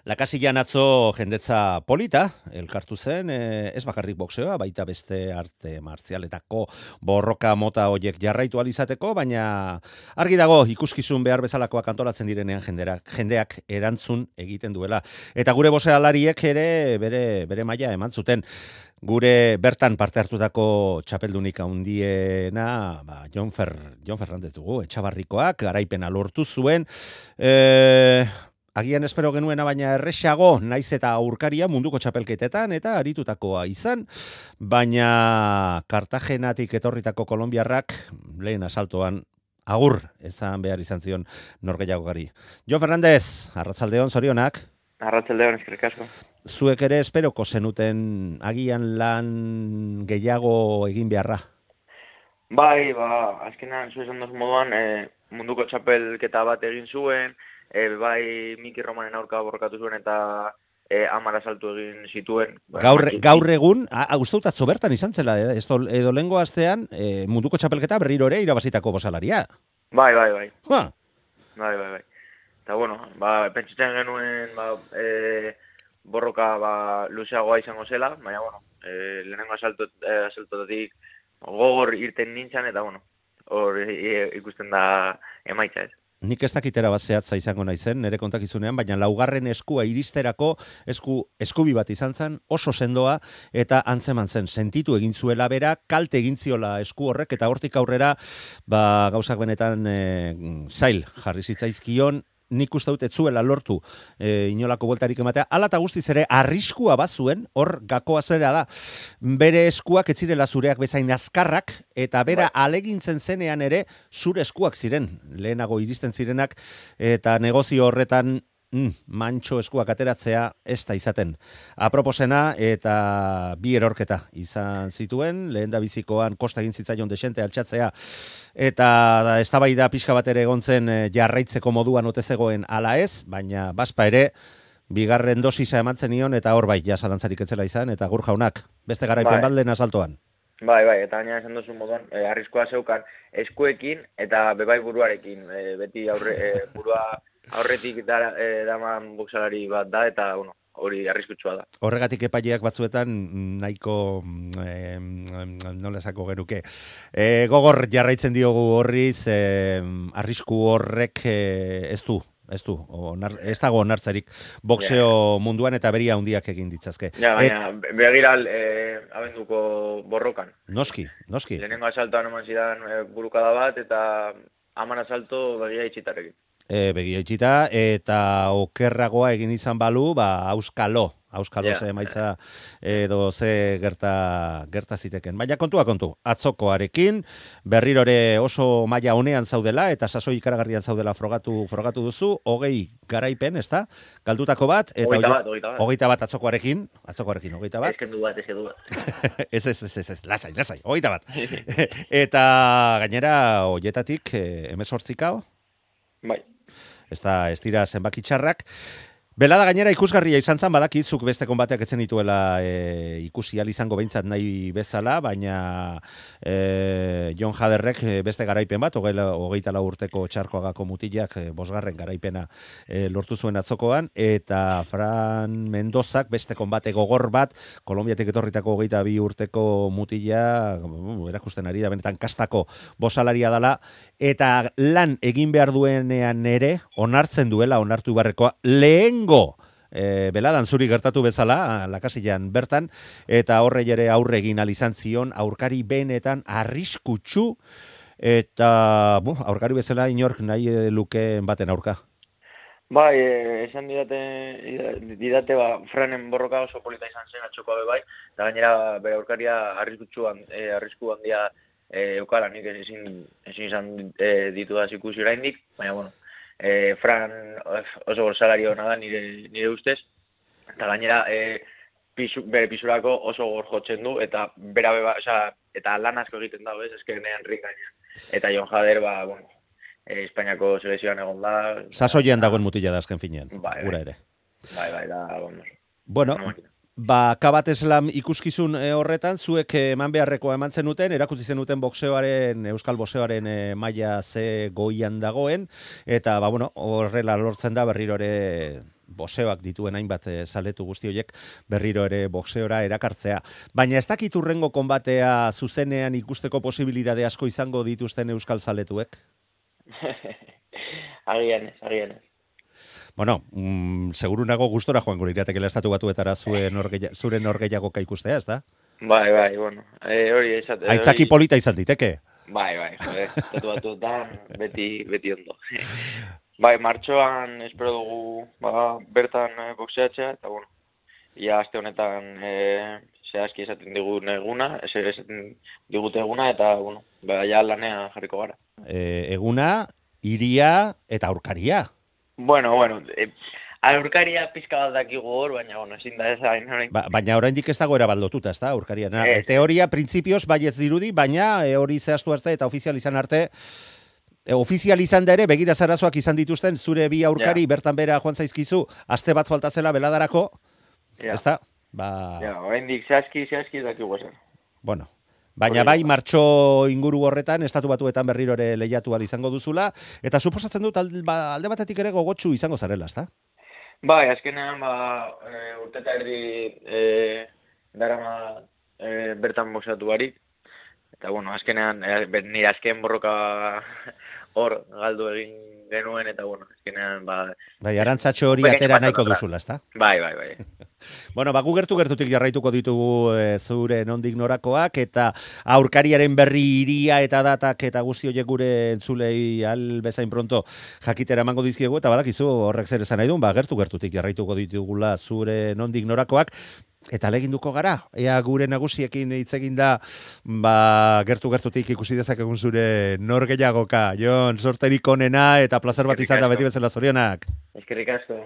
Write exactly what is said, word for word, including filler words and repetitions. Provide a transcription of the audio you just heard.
Lakasillan atzo jendetza polita, elkartu zen, eh, ez bakarrik boxeoa, baita beste arte martzialetako borroka mota hoiek jarraitu alizateko, baina argi dago ikuskizun behar bezalakoak antolatzen direnean jenderak, jendeak erantzun egiten duela. Eta gure boxealariek ere bere, bere maila eman zuten. Gure bertan parte hartutako txapeldunik handiena, ba, Jon, Fer, Jon Ferrandez dugu, Etxabarrikoak, garaipena lortu zuen, eh, agian espero genuena baina erresago, naiz eta aurkaria munduko txapelketetan eta aritutakoa izan, baina Kartagenatik etorritako kolonbiarrak lehen asaltoan agur ezan behar izan zion norgehiagokari. Jon Ferrandez, arratsaldeon, zorionak. Arratsaldeon, eskerrik asko. Zuek ere esperoko zenuten agian lan gehiago egin beharra? Bai, ba, azkenan zu esan dozu moduan, e, munduko txapelketa bat egin zuen, e, bai Miki Romanen aurka borrokatu zuen eta e, hamar asaltu egin zituen. Gaur, gaur egun, uste dut atzo bertan izan zela, eh? Esto, edo lehengo astean e, munduko txapelketa berriro ere irabazitako bosalaria. Bai, bai, bai. Ha. Bai, bai, bai. Eta bueno, ba, pentsatzen genuen ba, e, borroka ba, luzeagoa izango zela, baina bueno, e, lehenengo asalto, e, asaltotatik gogor irten nintzen, eta bueno, hor e, ikusten da emaitza ez. Nik ez dakitera bat zehatza izango naizen, nire kontakizunean, baina laugarren eskua iristerako esku, eskubi bat izan zen, oso sendoa, eta antzeman zen, sentitu egin zuela bera, kalte egin ziola esku horrek, eta hortik aurrera, ba, gauzak benetan e, zail jarri zitzaizkion, nik uste dut etzuela lortu e, inolako bueltarik ematea, ala eta guztiz ere arriskua bazuen, hor gakoa zera da, bere eskuak ez zirela zureak bezain azkarrak, eta bera Bai. alegintzen zenean ere zure eskuak ziren, lehenago iristen zirenak, eta negozio horretan mm, mantxo eskuak ateratzea ez da izaten. Aproposena eta bi erorketa izan zituen, lehen da bizikoan kosta egin zitzaion desente altxatzea, eta eztabaida pixka bat ere egon zen jarraitzeko moduan ote zegoen ala ez, baina baspa ere bigarren dosisa eman zenion eta hor bai ja zalantzarik etzela izan, eta gur jaunak, beste garaipen Bai. balden asaltoan. Bai, bai, eta gaina esan duzu moduan, e, arriskoa zeukan eskuekin eta bebai buruarekin, e, beti aurre, e, burua aurretik da, e, daman boksalari bat da, eta bueno, hori arriskutsua da. Horregatik epaileak batzuetan nahiko eh, nola esako genuke. Eh, gogor jarraitzen diogu horriz, eh, arrisku horrek eh, ez du, ez du, onar, ez dago onartzarik boxeo yeah. munduan eta beria handiak egin ditzazke. Ja, baina Et, begiral eh, abenduko borrokan. Noski, noski. Lehenengo asaltoan eman zidan e, burukada bat eta haman asalto begia itxitarekin. E, begia itxita, eta okerragoa egin izan balu, ba, auskalo, auskalo yeah. ze emaitza edo ze gerta, gerta ziteken. Baina kontua kontu, atzokoarekin, berrirore oso maila honean zaudela, eta sasoi ikaragarrian zaudela frogatu, frogatu duzu, hogei garaipen, ez da? Galdutako bat, eta hogeita bat, hogeita bat. hogeita bat atzokoarekin, atzokoarekin, hogeita bat. Eskendu bat, eskendu bat. ez, ez, ez, ez, ez, lasai, lasai, hogeita bat. Eta gainera, hoietatik, emezortzikao? Bai. Ez da, ez dira zenbaki txarrak. Belada gainera ikusgarria izan zan, badakizuk beste konbateak etzen dituela e, ikusi ahal izango behintzat nahi bezala, baina e, Jon Jaderrek beste garaipen bat, hogeita lau urteko txarkoagako mutilak e, bosgarren garaipena e, lortu zuen atzokoan, eta Fran Mendozak beste konbate gogor bat, Kolonbiatik etorritako hogeita bi urteko mutila, uh, erakusten ari da, benetan kastako bosalaria dela, eta lan egin behar duenean ere, onartzen duela, onartu barrekoa, lehen E, beladan zuri gertatu bezala, Lakasillan bertan, eta horre ere aurre egin alizan zion, aurkari benetan arriskutsu, eta bu, aurkari bezala inork nahi lukeen baten aurka. Bai, e, esan didate, didate ba, Franen borroka oso polita izan zen atxokoa bai, eta gainera bere aurkaria arriskutsu e, arrisku handia e, eukala, nik ezin, ezin izan e, ditu da ikusi oraindik, baina bueno, E, Fran oso borsalari hona da nire, nire ustez, eta gainera e, pisu, bere pisurako oso gor jotzen du, eta bera beba, oza, eta lan asko egiten dago, ez, eskenean rik gaina. Eta Jon Jader, ba, bueno, e, Espainiako selekzioan egon da. Sasoian dagoen mutila da azken finean, bai, gura ere. Bai, bai, da, vamos. Bueno, ba, Kabat Slam ikuskizun e, horretan, zuek eman beharrekoa eman zenuten, erakutsi zenuten boxeoaren, euskal boxeoaren e, maila ze goian dagoen, eta, ba, bueno, horrela lortzen da berriro ere boxeoak dituen hainbat e, zaletu guzti horiek berriro ere boxeora erakartzea. Baina ez dakit hurrengo konbatea zuzenean ikusteko posibilitate asko izango dituzten euskal zaletuek? Agian ez, agian ez. Bueno, mm, seguru nago gustora joango liratekela estatu batuetara zure norgeia, zure norgeiagoka ikustea, ez da? Bai, bai, bueno. E, hori esate, Aitzaki hori... polita izan diteke. Bai, bai, jode, estatu batuetan beti, beti ondo. Bai, martxoan espero dugu ba, bertan e, boxeatzea, eta bueno, ia aste honetan e, zehazki esaten digun eguna, esaten digute eguna, eta bueno, ba, ja lanean jarriko gara. E, eguna, iria eta aurkaria. Bueno, bueno, e, aurkaria pizka bat dakigu hor, baina, bueno, ezin da ez hain. Ba, baina oraindik ez dago erabat lotuta, ez da, aurkaria. Na, Eh, e, teoria, printzipioz, baiez dirudi, baina e, hori zehaztu arte eta ofizial izan arte, e, ofizial izan da ere, begira zarazoak izan dituzten, zure bi aurkari ja. bertan bera joan zaizkizu, aste bat falta zela beladarako, Ja. ez da? Ba... Ja, oraindik zehazki, zehazki dakigu esan. Bueno, baina bai martxo inguru horretan, estatu batuetan berriro ere lehiatu ahal izango duzula, eta suposatzen dut alde, ba, alde batetik ere gogotsu izango zarela, ez da? Bai, azkenean, ba, e, urteta erdi e, darama e, bertan boxeatu barik. Eta, bueno, azkenean, e, nire azken borroka hor galdu egin genuen, eta, bueno, azkenean, ba... Bai, arantzatxo hori atera nahiko duzula, ez da? Bai, bai, bai. Bueno, ba, gu gertu-gertutik jarraituko ditugu e, zure nondik norakoak, eta aurkariaren berri iria eta datak eta guzti horiek gure entzulei al bezain pronto jakitera emango dizkiegu, eta badakizu horrek zer esan nahi duen, ba, gertu-gertutik jarraituko ditugula zure nondik norakoak, eta leginduko gara, ea gure nagusiekin hitz egin da, ba, gertu-gertutik ikusi dezakegun zure nor gehiagoka. Jon, sorterik onena eta plazer bat izan da beti bezala zorionak. Eskerrik asko.